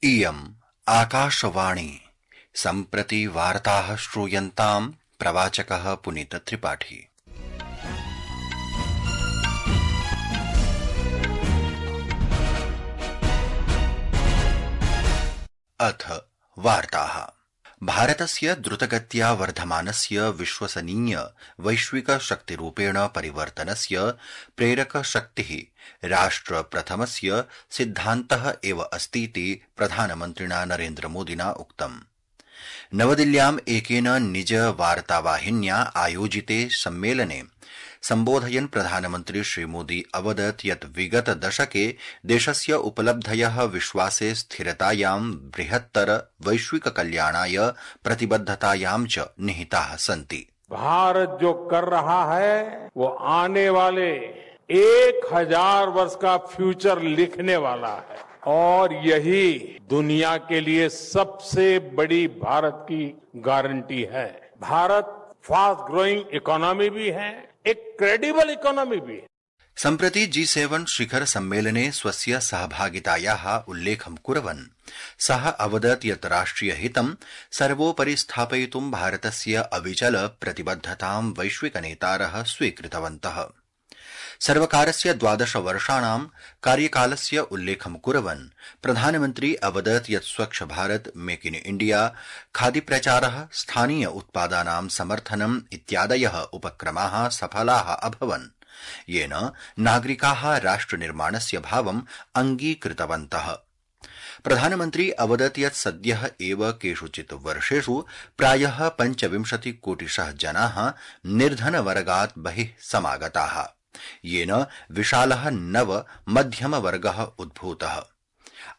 इयम् आकाशवाणी सम्प्रति वार्ताः श्रूयन्ताम् प्रवाचकः पुनीत त्रिपाठी। अथ वार्ताः। भारतस्य द्रुतगत्या वर्धमानस्य विश्वसनीय वैश्विक शक्तिरूपेण परिवर्तनस्य प्रेरकशक्तिः राष्ट्रप्रथमस्य सिद्धान्तः एव अस्तीति प्रधानमन्त्रिणा नरेन्द्रमोदिना उक्तम्। नवदिल्ल्याम् एकेन निज वार्तावाहिन्या आयोजिते सम्मेलने सम्बोधयन् प्रधानमन्त्री श्रीमोदी अवदत् यत् विगत दशके देशस्य उपलब्धयः विश्वासे स्थिरतायां बृहत्तर वैश्विक कल्याणाय प्रतिबद्धतायां च निहिताः सन्ति। भारत जो कर रहा है वो आने वाले 1000 वर्ष का फ्यूचर लिखने वाला है और यही दुनिया के लिए सबसे बड़ी भारत की गारंटी है। भारत फास्ट ग्रोइंग इकोनॉमी भी है, एक क्रेडिबल इकोनॉमी भी है। सम्प्रति G7 शिखर सम्मेलने स्वस्य सहभागितायाः उल्लेखं कुर्वन् सः अवदत् यत् राष्ट्रियहितं सर्वोपरि स्थापयितुं भारतस्य अविचल प्रतिबद्धतां वैश्विकनेतारः स्वीकृतवन्तः। सर्वकारस्य 12 वर्षाणां कार्यकालस्य उल्लेखं कुर्वन् प्रधानमन्त्री अवदत् यत् स्वच्छ भारत, मेक इन इण्डिया, खादीप्रचारः, स्थानीय उत्पादानां समर्थनम् इत्यादयः उपक्रमाः सफलाः अभवन्, येन नागरिकाः राष्ट्रनिर्माणस्य भावम् अङ्गीकृतवन्तः। प्रधानमन्त्री अवदत् यत् सद्यः एव केषुचित् वर्षेषु प्रायः 25 कोटिशः जनाः निर्धनवर्गात् बहिः समागताः, येन विशालः नव मध्यमवर्गः उद्भूतः,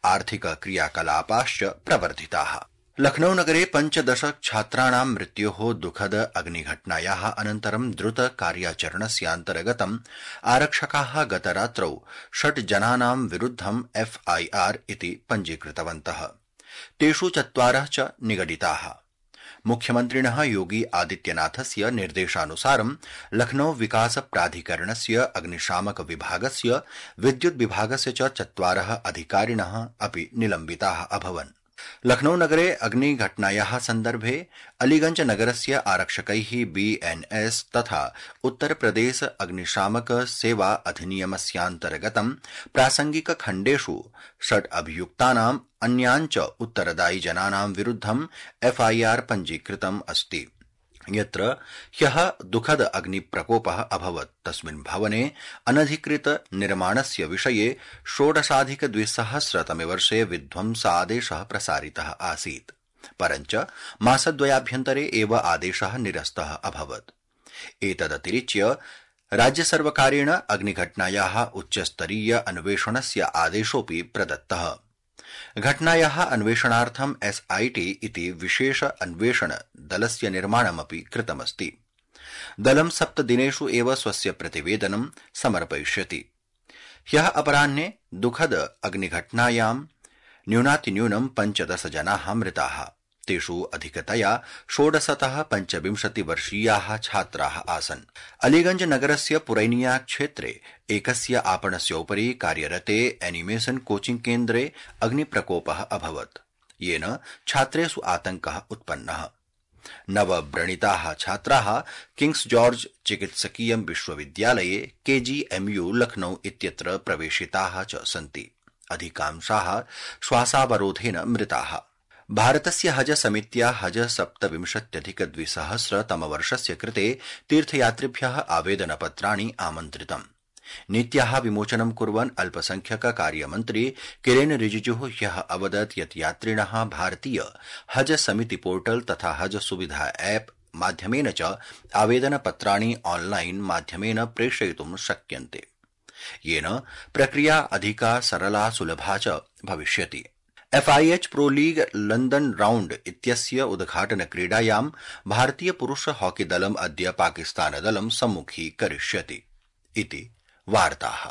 आर्थिक क्रियाकलापाश्च प्रवर्धिताः। लखनऊ नगरे 15 छात्राणां मृत्योः दुःखद अग्निघटनायाः अनन्तरं द्रुत कार्याचरणस्यान्तर्गतम् आरक्षकाः गतरात्रौ 6 जनानां विरुद्धं FIR इति पञ्जीकृतवन्तः। तेषु 4 च निगडिताः। मुख्यमन्त्रिणः योगी आदित्यनाथस्य निर्देशानुसारं लखनऊ विकास प्राधिकरणस्य अग्निशामक विभागस्य विद्युत् विभागस्य च 4 अधिकारिणः अपि निलम्बिताः अभवन्। लखनऊ नगरे अग्निघटनायाः सन्दर्भे अलीगंज नगरस्य आरक्षकैः BNS तथा उत्तरप्रदेश अग्निशामक सेवा अधिनियमस्यान्तर्गतं प्रासंगिक खण्डेषु 6 अभियुक्तानाम् अन्यान् च उत्तरदायि जनानां विरुद्धं FIR पञ्जीकृतम् अस्ति। यत्र ह्यः दुःखद अग्निप्रकोपः अभवत् तस्मिन् भवने अनधिकृत निर्माणस्य विषये 16,200 वर्षे विध्वंसादेशः प्रसारितः आसीत्, परञ्च मासद्वयाभ्यन्तरे एव आदेशः निरस्तः अभवत्। एतदतिरिच्य राज्यसर्वकारेण अग्निघटनायाः उच्चस्तरीय अन्वेषणस्य आदेशोऽपि प्रदत्तः। घटनायाः अन्वेषणार्थं SIT इति विशेष अन्वेषण दलस्य निर्माणमपि कृतमस्ति। दलं 7 दिनेषु एव स्वस्य प्रतिवेदनं समर्पयिष्यति। ह्यः अपराह्ने दुःखद अग्निघटनायां न्यूनातिन्यूनं 15 जनाः मृताः। तेषु अधिकतया 16तः 25 वर्षीयाः छात्राः आसन्। अलीगंज नगरस्य पुरैनिया क्षेत्रे एकस्य आपणस्योपरि कार्यरते एनिमेशन कोचिंग केन्द्रे अग्निप्रकोपः अभवत्, येन छात्रेषु आतङ्कः उत्पन्नः। नवव्रणिताः छात्राः किंग्स जॉर्ज चिकित्सकीय विश्वविद्यालये KGMU लखनऊ इत्यत्र प्रवेशिताः च सन्ति। अधिकांशाः श्वासावरोधेन मृताः। भारतस्य हज समित्या हज 27,200 तमवर्षस्य कृते तीर्थयात्रिभ्यः आवेदनपत्राणि आमन्त्रितम्। नीत्याः विमोचनं कुर्वन् अल्पसंख्यक कार्यमन्त्री किरेन रिजिजुः ह्यः अवदत् यत् यात्रिणः भारतीय हज समिति पोर्टल तथा हज सुविधा ऐप् माध्यमेन च आवेदनपत्राणि ऑनलाइन माध्यमेन प्रेषयितुं शक्यन्ते, येन प्रक्रिया अधिका सरला सुलभा च भविष्यति। FIH pro league London round इत्यस्य उद्घाटनक्रीडायां भारतीय पुरुष हॉकी दलम् अद्य पाकिस्तानदलं सम्मुखीकरिष्यति इति वार्ताः।